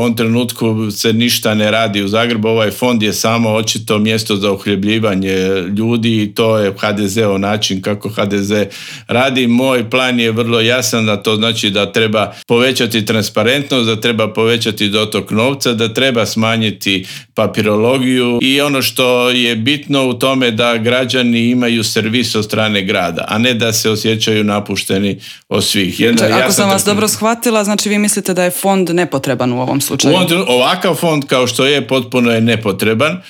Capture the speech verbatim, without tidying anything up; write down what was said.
ovom trenutku se ništa ne radi u Zagrebu, ovaj fond je samo očito mjesto za uhljebljivanje ljudi i to je ha de zeov način kako ha de ze radi. Moj plan je vrlo jasan, da to znači da treba povećati transparentnost, da treba povećati dotok novca, da treba smanjiti papirologiju i ono što je bitno u tome da građani imaju servis od strane grada, a ne da se osjećaju napušteni od svih. Jedna, Ako ja sam vas da... dobro shvatila, znači vi mislite da je fond nepotreban u ovom slučaju? U ovom, ovakav fond kao što je potpuno je nepotreban.